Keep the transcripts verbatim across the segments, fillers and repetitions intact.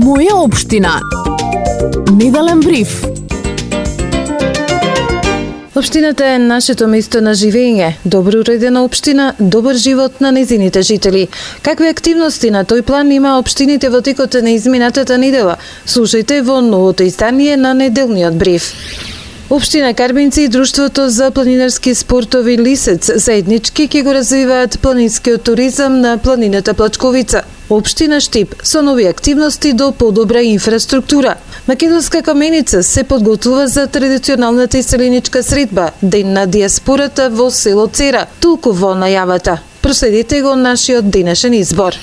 Моја општина. Неделен бриф. Општината е нашето место на живење, добро уредена општина, добар живот на незините жители. Какви активности на тој план има општините во текот на изминатата недела? Слушајте во новото издание на неделниот бриф. Општина Карбинци и Друштвото за планинарски спортови Лисец заеднички ќе го развиваат планинскиот туризам на планината Плачковица. Општина Штип со нови активности до подобра инфраструктура. Македонска каменица се подготвува за традиционалната иселеничка средба, Ден на диаспората во село Цера, толку во најавата. Проследете го нашиот денешен избор.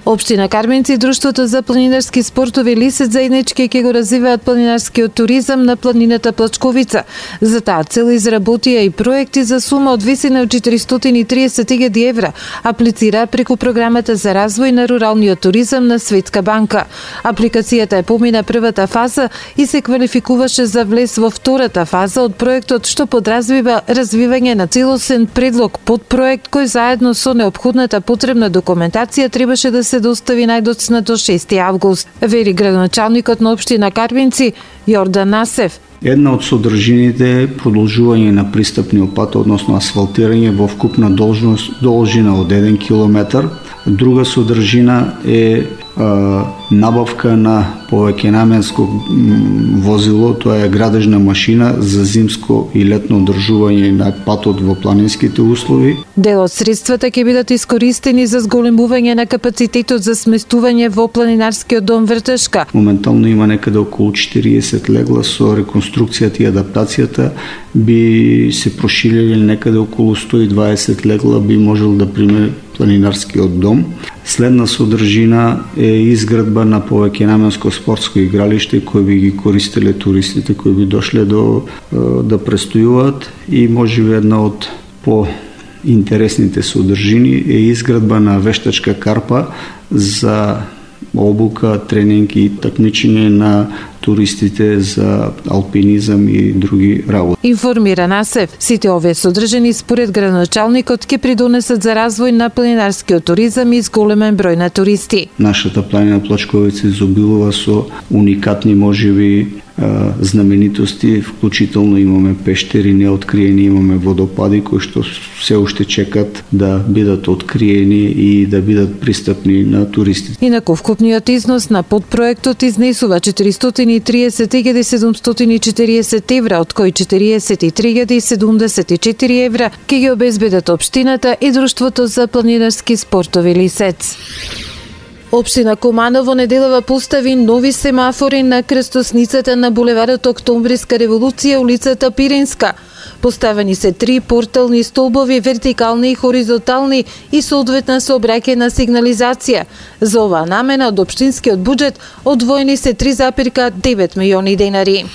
Општина Карбинци и Друштвото за планинарски спортови Лисец заеднички ќе го развиваат планинарскиот туризам на планината Плачковица. За таа цел изработија и проекти за сума од висина од четиристотини и триесет илјади евра. Аплицира преку програмата за развој на руралниот туризам на Светска банка. Апликацијата е помина првата фаза и се квалификуваше за влез во втората фаза од проектот, што подразбива развивање на целосен предлог под проект кој заедно со неопходната потребна документација требаше да се достави најдоцна до шести август, вери градоначалникот на општина Карбинци Јордан Насев. Една од содржините е продолжување на пристапниот пат, односно асфалтирање во вкупна должност должина од еден километар. Друга содржина е а, набавка на повеќенаменско возило, тоа е градежна машина за зимско и летно одржување на патот во планинските услови. Дел од средствата ќе бидат искористени за зголемување на капацитетот за сместување во планинарскиот дом Вртешка. Моментално има некаде околу четириесет легла, со реконструкцијата и адаптацијата би се проширили некаде околу сто и дваесет легла, би можел да приме планинарскиот дом. Следна содржина е изградба на повеќенаменско спортско игралиште кој би ги користеле туристите кои би дошле до да престојуваат, и можеби една од по интересните содржини е изградба на вештачка карпа за обука, тренинг и такмичење на туристите за алпинизам и други работи. Информира Насев, сите овие содржини според градоначалникот ќе придонесат за развој на планинарскиот туризам и зголемен број на туристи. Нашата планина Плачковица изобилува со уникатни можеби знаменитости, вклучително имаме пештери неоткриени, имаме водопади кои што се уште чекат да бидат откриени и да бидат пристапни на туристите. Инаку вкупниот износ на подпроектот изнесува четиристотини и триесет илјади седумстотини и четириесет евра, од кои четириесет и три илјади седумдесет и четири евра ќе ги обезбедат општината и Друштвото за планинарски спортови Лисец. Општина Куманово неделава постави нови семафори на крстосницата на булеварот Октомвриска револуција, улицата Пиринска. Поставени се три портални столбови, вертикални и хоризонтални, и соодветна сообраќајна сигнализација. За оваа намена од општинскиот буџет одвоени се три запирка девет милиони денари.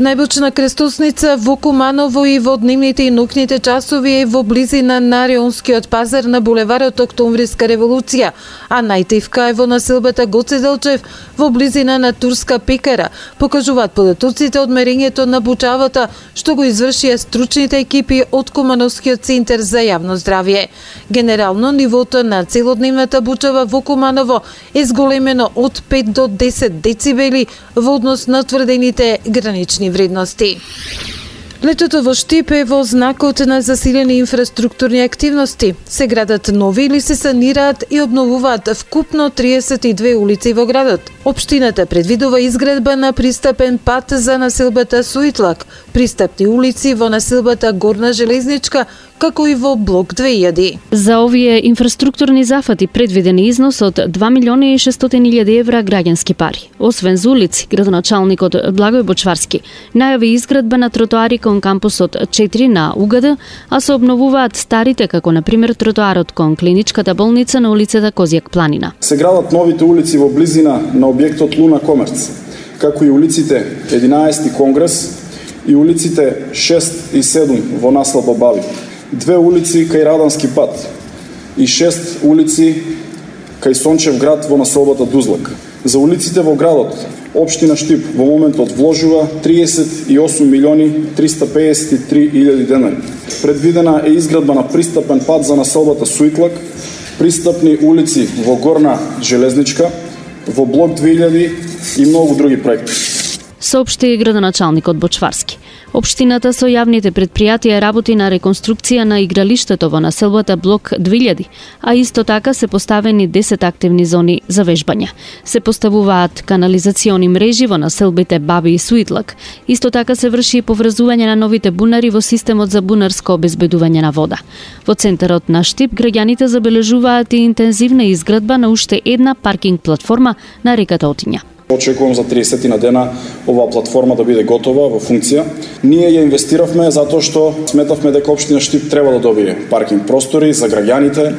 Најбучна крстосница во Куманово и во дневните и ноќните часови е во близина на Реонскиот пазар на булеварот Октомвриска револуција, а најтивка е во населбата Гоце Делчев во близина на Турска пекара, покажуваат податоците од мерењето на бучавата што го извршија стручните екипи од Кумановскиот центар за јавно здравје. Генерално нивото на целодневната бучава во Куманово е зголемено од пет до десет децибели во однос на тврдените гранични вредности. Летото во Штип е во знакот на засилени инфраструктурни активности. Се градат нови или се санираат и обновуваат вкупно триесет и две улици во градот. Општината предвидува изградба на пристапен пат за населбата Суитлак, пристапни улици во населбата Горна Железничка, како и во блок две илјади. За овие инфраструктурни зафати предвидени износ од два милиони и шестстотини илјади евра граѓански пари. Освен за улици, градоначалникот Благој Бочварски најави изградба на тротоари кон кампусот четири на УГД, а се обновуваат старите, како на пример тротоарот кон клиничката болница на улицата Козјак Планина. Се градат новите улици во близина на објектот Луна Комерц, како и улиците единаесети Конгрес и улиците шест и седум во наслов Бабави. Две улици кај Радански пат и шест улици кај Сончев град во населбата Дузлак. За улиците во градот Општина Штип во моментот вложува триесет и осум милиони триста пеесет и три илјади денари. Предвидена е изградба на пристапен пат за населбата Суитлак, пристапни улици во Горна Железничка, во блок две илјади и многу други проекти. Соопшти градоначалникот Бочварски. Општината со јавните предпријатија работи на реконструкција на игралиштето во населбата блок две илјади, а исто така се поставени десет активни зони за вежбање. Се поставуваат канализациони мрежи во населбите Баби и Суитлак. Исто така се врши и поврзување на новите бунари во системот за бунарско обезбедување на вода. Во центарот на Штип граѓаните забележуваат и интензивна изградба на уште една паркинг платформа на реката Отиња. Очекувам за тридесет на дена оваа платформа да биде готова во функција. Ние ја инвестиравме затоа што сметавме дека општина Штип треба да добие паркинг простори за граѓаните,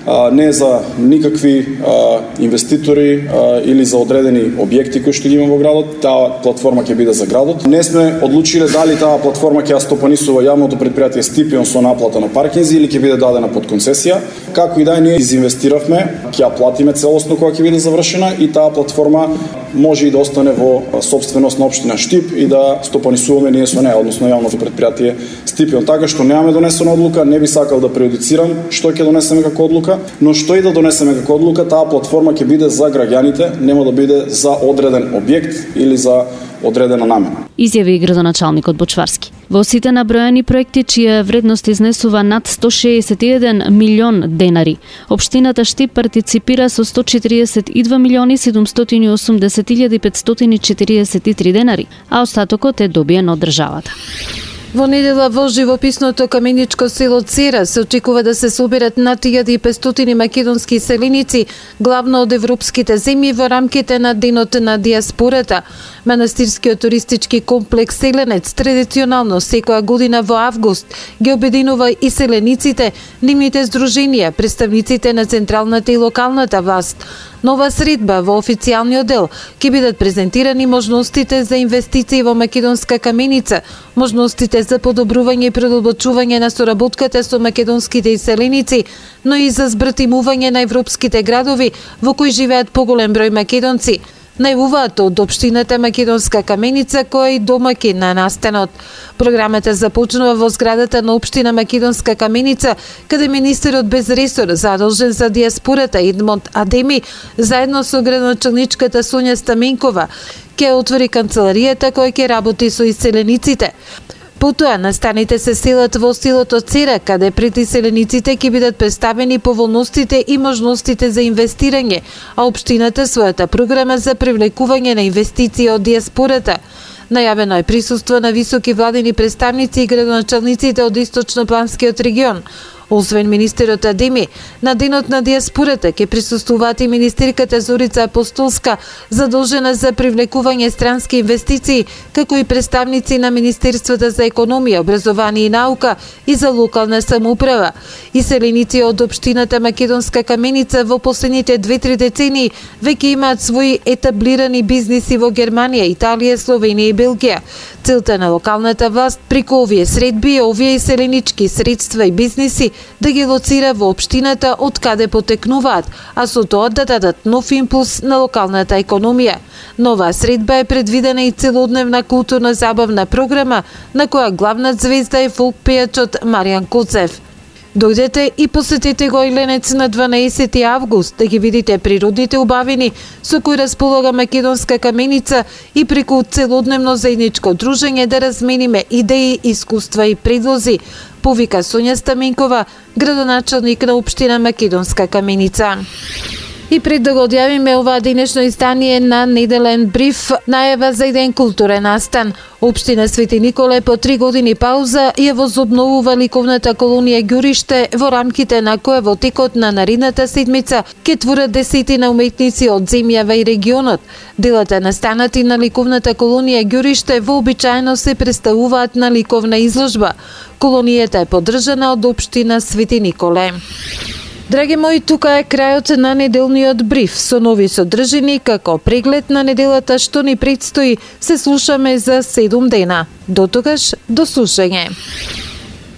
а, не за никакви а, инвеститори а, или за одредени објекти кои што ги има во градот. Таа платформа ќе биде за градот. Не сме одлучиле дали таа платформа ќе ја стопанисува јавното предпријатие Стипион со наплата на паркинзи или ќе биде дадена под концесија. Како и да е, ние изинвестиравме, ќе ја платиме целосно кога ќе биде завршена и таа платформа може и да остане во собственост на општина Штип и да стопанисуваме ние со неа, односно јавното предпријатие Стипион. Така што немаме донесена одлука, не би сакал да прејудицирам што ќе донесеме како одлука, но што и да донесеме како одлука, таа платформа ќе биде за граѓаните, нема да биде за одреден објект или за одредена намена. Изјави градоначалникот Бочварски. Во сите набројани проекти чија вредност изнесува над сто шеесет и еден милион денари, општината Штип партиципира со сто четириесет и два милиони седумстотини и осумдесет илјади петстотини и четириесет и три денари, а остатокот е добиен од државата. Во недела во живописното каменичко село Цера се очекува да се соберат над илјада и петстотини македонски селеници, главно од европските земји во рамките на Денот на диаспората. Манастирскиот туристички комплекс Селенец традиционално секоја година во август ги обединува и селениците, нивните здруженија, представниците на централната и локалната власт. Нова средба во официјалниот дел ќе бидат презентирани можностите за инвестиции во македонска каменица, можностите за подобрување и продолбочување на соработката со македонските иселеници, но и за збртимување на европските градови во кои живеат поголем број македонци. Најавуваат од општината Македонска каменица, која е и домаќин на настанот. Програмата започнува во зградата на општина Македонска каменица, каде министерот без ресор задолжен за диаспората Едмонд Адеми, заедно со градоначалничката Сонја Стаменкова, ќе отвори канцеларијата која ќе работи со иселениците. Потоа настаните се селат во селото Цера, каде пред иселениците ќе бидат представени поволностите и можностите за инвестирање, а општината својата програма за привлекување на инвестиции од диаспората. Најавено е присуство на високи владени представници и градоначалниците од Источнопланскиот регион. Освен министерот Адеми, на Денот на диаспората ќе присуствуваат и министерката Зорица Апостолска, задолжена за привлекување странски инвестиции, како и представници на Министерството за економија, образование и наука и за локална самоуправа. Иселеници од општината Македонска каменица во последните две-три децении веќе имаат своји етаблирани бизниси во Германија, Италија, Словенија и Белгија. Целта на локалната власт преку овие средби е овие иселенички средства и бизниси да ги лоцира во општината од каде потекнуваат, а со тоа да дадат нов импулс на локалната економија. Нова средба е предвидена и целодневна културна забавна програма, на која главна звезда е фолк пејачот Маријан Коцев. Дојдете и посетете го Иленец на дванаесети август да ги видите природните убавини со кои располага Македонска каменица и преку целодневно заедничко дружење да размениме идеи, искуства и предлози, повика Сонја Стаменкова, градоначалник на општина Македонска каменица. И пред да го одјавиме оваа денешно издание на Неделен бриф, најава за еден културен настан. Општина Свети Николе по три години пауза ја возобновува ликовната колонија Ѓуриште, во рамките на која во текот на наредната седмица ќе творат десетина уметници од земјава и регионот. Делата настанати на ликовната колонија Ѓуриште вообичаено се представуваат на ликовна изложба. Колонијата е поддржана од општина Свети Николе. Драги мои, тука е крајот на неделниот бриф со нови содржини како преглед на неделата што ни предстои. Се слушаме за седум дена. До тогаш, до слушање.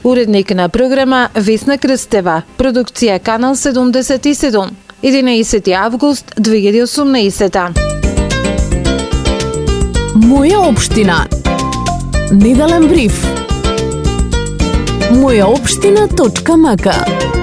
Уредник на програма Весна Крстева, продукција Канал седумдесет и седум, единаесети август две илјади и осумнаесета. Моја општина. Неделен бриф. моја општина точка м к